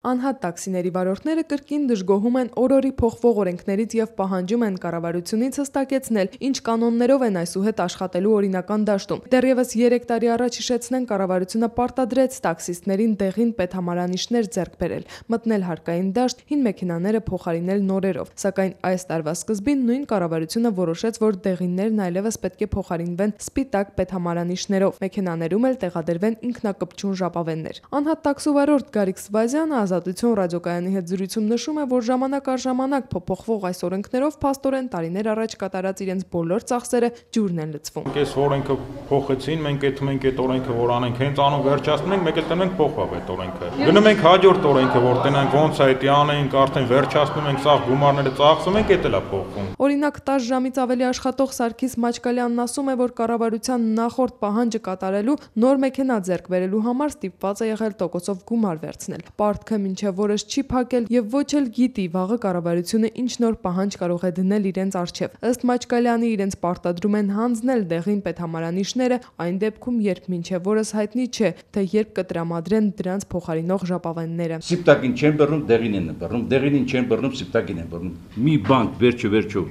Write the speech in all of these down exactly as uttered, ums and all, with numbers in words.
Անհատ տաքսիների վարորդները կրկին դժգոհում են օրորի փոխվող օրենքներից և պահանջում են կառավարությունից հստակեցնել, ինչ կանոններով են այսուհետ աշխատելու օրինական դաշտում։ Դեռևս երեք տարի առաջ հիշեցնենք, կառավարությունը պարտադրեց տաքսիստներին դեղին պետհամարանիշներ ձեռք բերել, մտնել հարկային դաշտ, հին մեքենաները փոխարինել նորերով։ Սակայն այս տարվա սկզբին նույն կառավարությունը որոշեց, որ դեղիններն այլևս պետք է փոխարինվեն սպիտակ պետհամարանիշներով, մեքենաներում էլ տեղադրվեն ինքնակպչուն ժապավեններ։ Անհատ տաքսուվարորդ Գարիկ Սվազյանը Ազատություն ռադիոկայանի հետ զրույցում նշում է, որ ժամանակ առ ժամանակ փոփոխվող այս օրենքներով փաստորեն տարիներ առաջ կատարած իրենց բոլոր ծախսերը ջուրն են լցվում։ Այս օրենքը փոխեցին, մենք այդ մենք այդ օրենքը որ անենք, հենց անում վերջացնում ենք, մեկ էլ տնենք փոխվավ այդ օրենքը։ Գնում ենք հաջորդ օրենքը, որ տնենք ոնց է դա անենք, արդեն վերջացնում ենք, սաղ գումարները ծախսում ենք, դա էլ է փոխվում։ Օրինակ տասը ժամից ավելի աշխատող Սարգիս Մաչկալյանն ասում է, որ կառավարության նախորդ պահանջը կատարելու նոր մեքենա ձեռք բերելու համար ստիպված է եղել տոկոսով գումար վերցնել։ Պարտքը մինչև օրս չի փակել եւ ոչ էլ գիտի վաղը կառավարությունը ինչ նոր պահանջ կարող է դնել իրենց առջև։ Ըստ Մաչկալյանի իրենց պարտադրում են հանձնել դեղին պետհամարանիշները այն դեպքում, երբ մինչև օրս հայտնի չէ, թե երբ կտրամադրեն դրանց փոխարինող ժապավենները։ Սիպտակին չեն բռնում, դեղին են բռնում, դեղինին չեն բռնում, սիպտակին են բռնում։ Մի բան վերջը վերջո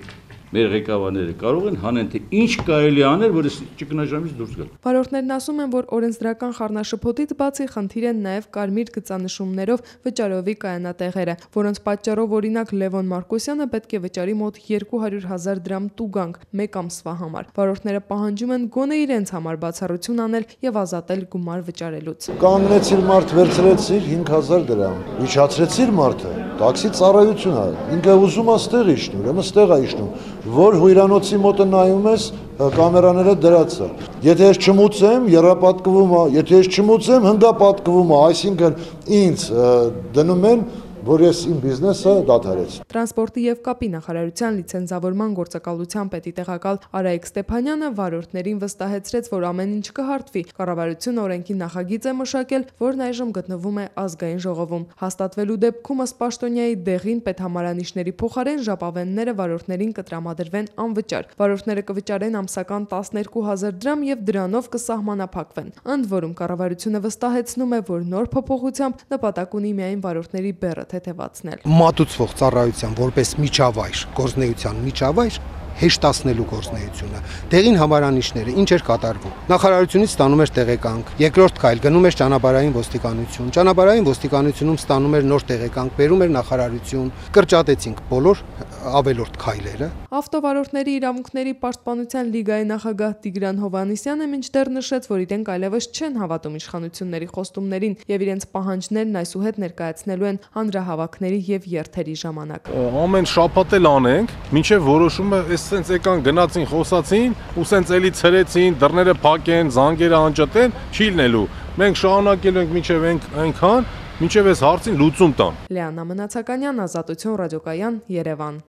մեր ղեկավարները կարող են հանեն, թե ինչ կարելի անել, որ ճգնաժամից դուրս գալ։ Վարորդներն ասում են, որ օրենսդրական խառնաշփոթից բացի խնդիր են նաև կարմիր գծանշումներով վճարովի կայանատեղերը, որոնց պատճառով օրինակ Լևոն Մարկոսյանը պետք է վճարի մոտ երկու հարյուր հազար դրամ տուգանք մեկ ամսվա համար։ Վարորդները պահանջում են գոնե իրենց համար բացառություն անել եւ ազատել գումար վճարելուց։ Կանգնեցիր մարդ վերցրեցիր հինգ հազար դրամ, իջացրեցիր մարդը, տաքսի ծառայություն է, ինքը ուզում է ստեղ իջնում, ուրեմն ստեղ է իջնում, որ հյուրանոցի մոտը նայում ես, կամերաները դրած է։ Եթե ես չմուծեմ, եռապատկվում է, եթե ես չմուծեմ, հնգապատկվում է, այսինքն ինձ դնում են, որ ես իմ բիզնեսը դադարեց։ Տրանսպորտի եւ կապի նախարարության լիցենզավորման գործակալության պետի տեղակալ Արայիկ Ստեփանյանը վարորդներին վստահեցրեց, որ ամեն ինչ կհարթվի։ Կառավարությունը օրենքի նախագիծ է մշակել, որն այժմ գտնվում է ազգային ժողովում։ Հաստատվելու դեպքում ըստ պաշտոնյայի դեղին պետհամարանիշների փոխարեն ժապավենները վարորդներին կտրամադրվեն անվճար։ Վարորդները կվճարեն ամսական տասներկու հազար դրամ եւ դրանով կսահմանափակվեն։ Ընդ որում կառավարությունը վստահեցնում է, որ նոր փոփոխությամբ նպատակ ունի միայն վարորդների բեռը թեթևացնել։ Մատուցվող ծառայության որպես միջավայր, գործնեության միջավայր հեշտացնելու գործնեությունը։ Դեղին համարանիշները ինչ էր կատարվում։ Նախարարությունից ստանում էր տեղեկանք, երկրորդ քայլ գնում էր ճանապարհային ոստիկանություն, ճանապարհային ոստիկանությունում ստանում էր նոր տեղեկանք, բերում էր նախարարություն, կրճատեցինք բոլոր ավելորդ քայլերը։ Ավտովարորդների իրավունքների պաշտպանության լիգայի նախագահ Տիգրան Հովհաննիսյանը մինչդեռ նշեց, որ իրենք այլևս չեն հավատում իշխանությունների խոստումներին եւ իրենց պահանջներն այսուհետ ներկայացնելու են հանրահավաքների եւ երթերի ժամանակ։ Ամեն շաբաթ էլ անենք, մինչեւ որոշումը էս սենց եկան գնացին, խոսացին, ու սենց էլի ցրեցին, դռները փակեն, զանգերը անջատեն, չի լինելու։ Մենք շարունակելու ենք մինչեւ այնքան, մինչեւ այս հարցին լուծում տան։ Լիանա Մնացականյան, Ազատություն ռադիոկայան, Երևան։